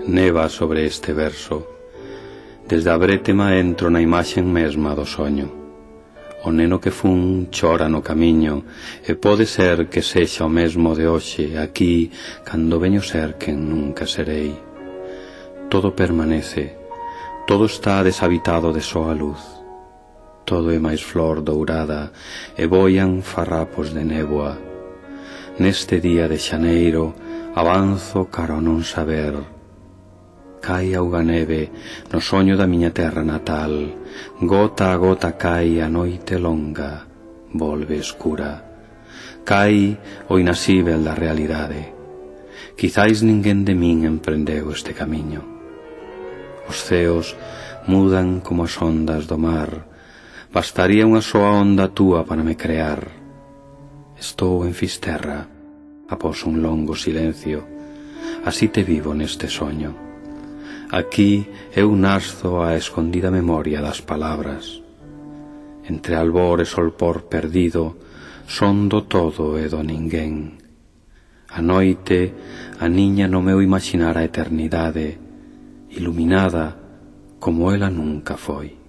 neva sobre este verso. Desde a brétema entro na imaxen mesma do soño. O neno que fun chora no camiño, e pode ser que sexa o mesmo de hoxe, aquí, cando veño ser quen nunca serei. Todo permanece, todo está deshabitado de soa luz. Todo é máis flor dourada, e boian farrapos de néboa. Neste día de xaneiro, avanzo cara ao non saber. Cai auga neve no soño da miña terra natal, gota a gota cai a noite longa, volve escura. Cai o inasível da realidade. Quizais ninguén de min emprendeu este camiño. Os ceos mudan como as ondas do mar, bastaría unha soa onda túa para me crear. Estou en Fisterra, após un longo silencio, así te vivo neste soño. Aquí eu naszo a escondida memoria das palabras. Entre albor e solpor perdido, son do todo e do ninguén. A noite aniña no meu imaxinar a eternidade, iluminada como ela nunca foi.